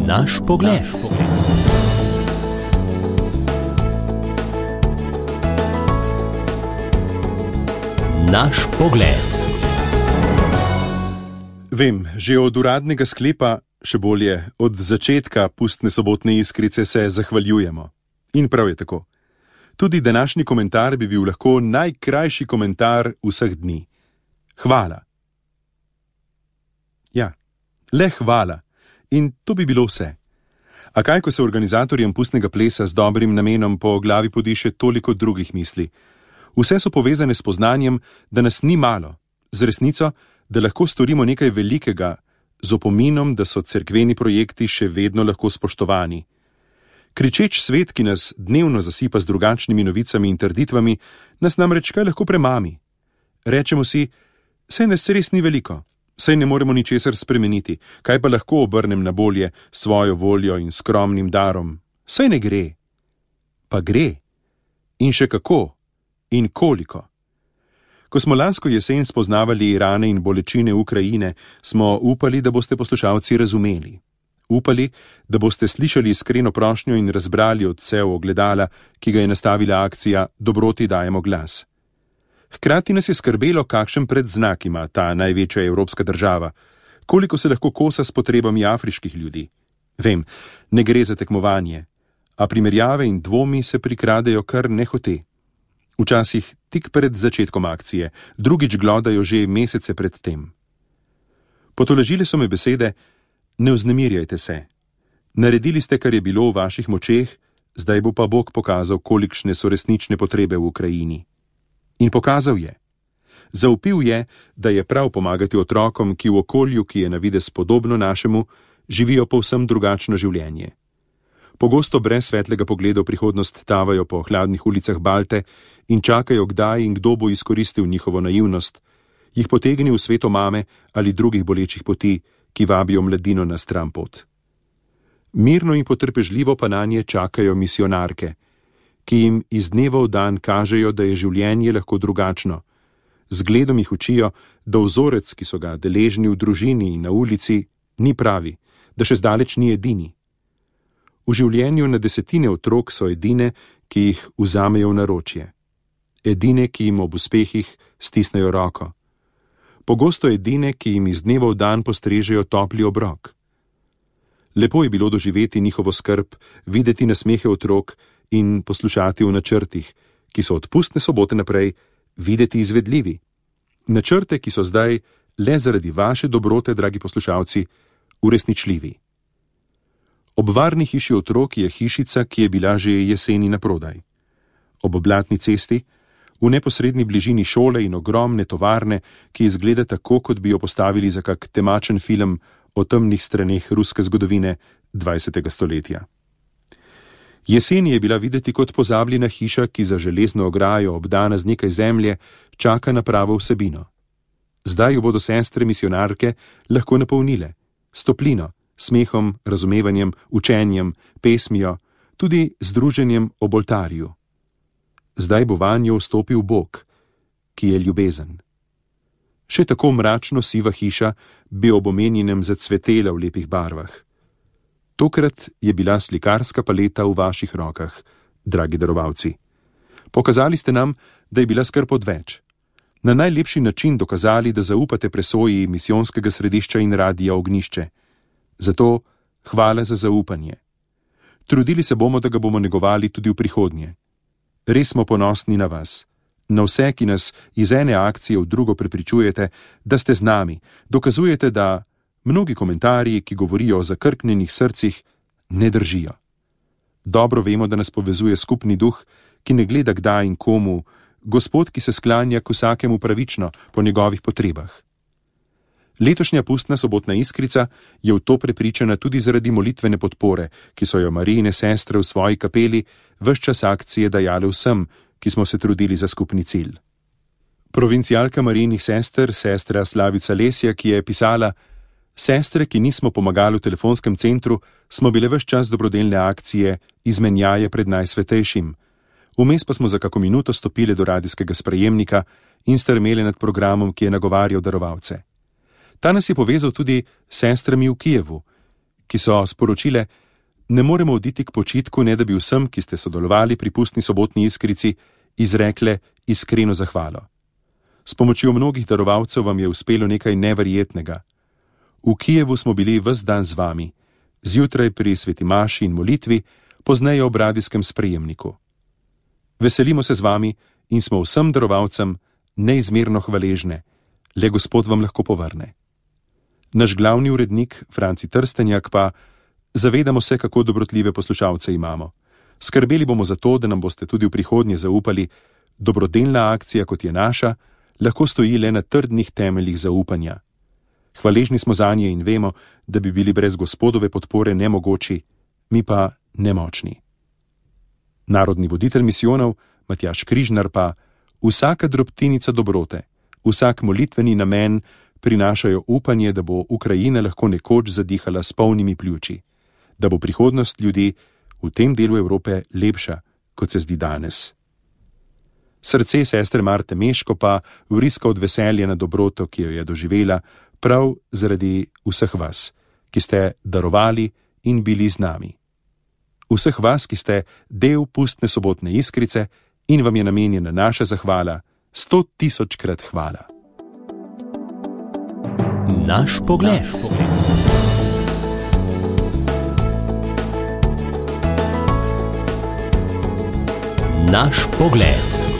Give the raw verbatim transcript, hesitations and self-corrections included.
Naš pogled. Naš pogled. Vem, že od uradnega sklepa, še bolje, od začetka pustne sobotne iskrice se zahvaljujemo. In prav je tako. Tudi današnji komentar bi bil lahko najkrajši komentar vseh dni. Hvala. Ja, le hvala. In to bi bilo vse. A kaj, ko se organizatorjem pustnega plesa z dobrim namenom po glavi podiše toliko drugih misli? Vse so povezane s poznanjem, da nas ni malo, z resnico, da lahko storimo nekaj velikega, z opominom, da so cerkveni projekti še vedno lahko spoštovani. Kričeč svet, ki nas dnevno zasipa z drugačnimi novicami in trditvami, nas namreč kaj lahko premami. Rečemo si, saj nas res ni veliko, saj ne moremo ničesar spremeniti, kaj pa lahko obrnem na bolje svojo voljo in skromnim darom, saj ne gre. Pa gre. In še kako. In koliko. Ko smo lansko jesen spoznavali rane in bolečine Ukrajine, smo upali, da boste poslušalci razumeli. Upali, da boste slišali iskreno prošnjo in razbrali odsev ogledala, ki ga je nastavila akcija Dobroti dajemo glas. Hkrati nas je skrbelo, kakšen predznak ima ta največja evropska država, koliko se lahko kosa s potrebami afriških ljudi. Vem, ne gre za tekmovanje, a primerjave in dvomi se prikradejo kar nehote. Včasih tik pred začetkom akcije, drugič glodajo že mesece pred tem. Potolažile so me besede, ne vznemirjajte se. Naredili ste, kar je bilo v vaših močeh, zdaj bo pa Bog pokazal, kolikšne so resnične potrebe v Ukrajini. In pokazal je. Zaupil je, da je prav pomagati otrokom, ki v okolju, ki je na videz podobno našemu, živijo povsem drugačno življenje. Pogosto brez svetlega pogleda v prihodnost tavajo po hladnih ulicah Balte in čakajo, kdaj in kdo bo izkoristil njihovo naivnost, jih potegnil v sveto mame ali drugih bolečih poti, ki vabijo mladino na stran pot. Mirno in potrpežljivo pa nanje čakajo misionarke, ki jim iz dneva v dan kažejo, da je življenje lahko drugačno. Zgledom jih učijo, da vzorec, ki so ga deležni v družini in na ulici, ni pravi, da še zdaleč ni edini. V življenju na desetine otrok so edine, ki jih vzamejo v naročje. Edine, ki jim ob uspehih stisnejo roko. Pogosto edine, ki jim iz dneva v dan postrežejo topli obrok. Lepo je bilo doživeti njihovo skrb, videti nasmehe otrok in poslušati v načrtih, ki so od pustne sobote naprej videti izvedljivi. Načrte, ki so zdaj, le zaradi vaše dobrote, dragi poslušalci, uresničljivi. Ob varni hiši otrok je hišica, ki je bila že jeseni naprodaj. Ob blatni cesti, v neposredni bližini šole in ogromne tovarne, ki izgleda tako, kot bi jo postavili za kak temačen film o temnih straneh ruske zgodovine dvajsetega stoletja. Jeseni je bila videti kot pozabljena hiša, ki za železno ograjo, obdana z nekaj zemlje, čaka na pravo vsebino. Zdaj jo bodo sestre misionarke lahko napolnile, s toplino, smehom, razumevanjem, učenjem, pesmijo, tudi združenjem ob oltarju. Zdaj bo vanjo vstopil Bog, ki je ljubezen. Še tako mračno siva hiša bi ob omenjenem zacvetela v lepih barvah. Tokrat je bila slikarska paleta v vaših rokah, dragi darovalci. Pokazali ste nam, da je bila skrb odveč. Na najlepši način dokazali, da zaupate presoji misijonskega središča in radija Ognišče. Zato hvala za zaupanje. Trudili se bomo, da ga bomo negovali tudi v prihodnje. Res smo ponosni na vas, na vse, ki nas iz ene akcije v drugo prepričujete, da ste z nami, dokazujete, da mnogi komentarji, ki govorijo o zakrknjenih srcih, ne držijo. Dobro vemo, da nas povezuje skupni duh, ki ne gleda kdaj in komu, Gospod, ki se sklanja k vsakemu pravično po njegovih potrebah. Letošnja pustna sobotna iskrica je v to prepričana tudi zaradi molitvene podpore, ki so jo Marijine sestre v svoji kapeli ves čas akcije dajale vsem, ki smo se trudili za skupni cilj. Provincialka Marijinih sester, sestra Slavica Lesja, ki je pisala: Sestre, ki nismo pomagali v telefonskem centru, smo bile ves čas dobrodelne akcije izmenjaje pred najsvetejšim. Vmes pa smo za kako minuto stopile do radijskega sprejemnika in strmele nad programom, ki je nagovarjal darovalce. Ta nas je povezal tudi s sestrami v Kijevu, ki so sporočile: ne moremo oditi k počitku, ne da bi vsem, ki ste sodelovali pri pustni sobotni iskrici, izrekle iskreno zahvalo. S pomočjo mnogih darovalcev vam je uspelo nekaj neverjetnega. V Kijevu smo bili ves dan z vami, zjutraj pri sveti maši in molitvi, pozneje ob radijskem sprejemniku. Veselimo se z vami in smo vsem darovalcem neizmerno hvaležne, le Gospod vam lahko povrne. Naš glavni urednik, Franci Trstenjak, pa: zavedamo se, kako dobrotljive poslušalce imamo. Skrbeli bomo za to, da nam boste tudi v prihodnje zaupali, dobrodelna akcija, kot je naša, lahko stoji le na trdnih temeljih zaupanja. Hvaležni smo zanje in vemo, da bi bili brez Gospodove podpore nemogoči, mi pa nemočni. Narodni voditelj misijonov, Matjaž Križnar, pa: vsaka drobtinica dobrote, vsak molitveni namen prinašajo upanje, da bo Ukrajina lahko nekoč zadihala s polnimi pljuči, da bo prihodnost ljudi v tem delu Evrope lepša, kot se zdi danes. Srce sestre Marte Meško pa vriska od veselja na dobroto, ki jo je doživela, prav zaradi vseh vas, ki ste darovali in bili z nami. Vseh vas, ki ste del pustne sobotne iskrice in vam je namenjena naša zahvala, sto tisočkrat hvala. Naš pogled. Naš pogled.